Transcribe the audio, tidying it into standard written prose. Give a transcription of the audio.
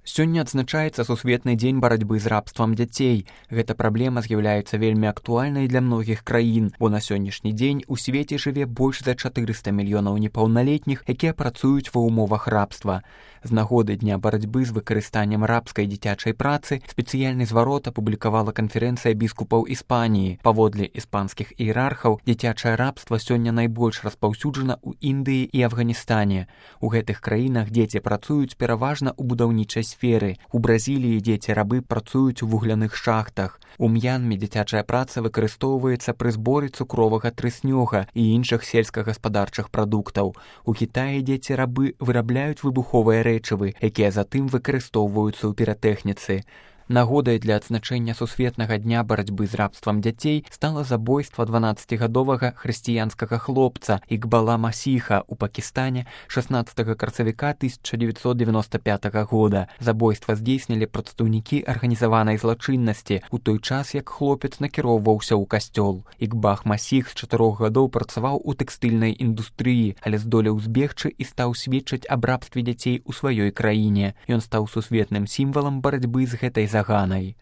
Сёння адзначаецца сусветны дзень барацьбы з рабствам дзяцей. Гэта праблема з'яўляецца вельмі актуальнай для многіх краін, бо на сённяшні дзень у свеце жыве больш за 400 мільёнаў непаўналетніх, якія працуюць ва ўмовах рабства. З нагоды дня барацьбы з выкарыстаннем рабскай дзіцячай працы спецыяльны зварот апублікавала канферэнцыя біскупаў Іспаніі. Паводле іспанскіх іерархаў, дзіцячае рабства сёння найбольш распаўсюджана ў Індыі і Афганістане. У гэтых краінах дзеці працуюць пераважна ў будаўнічай сферы. У Бразіліі дзеці-рабы працуюць у вугляных шахтах. У М'янме дзіцячая праца выкарыстоўваецца пры зборы цукровага трыснёга і іншых сельскагаспадарчых прадуктаў. У Кітаі дзеці-рабы вырабляюць выбуховыя рэчывы, якія затым выкарыстоўваюцца ў піратэхніцы. Нагодай для адзначэння сусветнага дня барацьбы з рабствам дзяцей стала забойства 12гадовага хрысціянскага хлопца Ікбала Масіха ў Пакістане 16 красавіка 1995 года. Забойства здзейснілі прадстаўнікі арганізаванай злачыннасці у той час, як хлопец накіроўваўся ў касцёл. Ікбах Масіх з 4 гадоў працаваў у тэкстыльнай індустрыі, але здолеў збегчы і стаў сведчыць аб рабстве дзяцей у сваёй краіне. Ён стаў сусветным сімвалам барацьбы з гэтай заганай.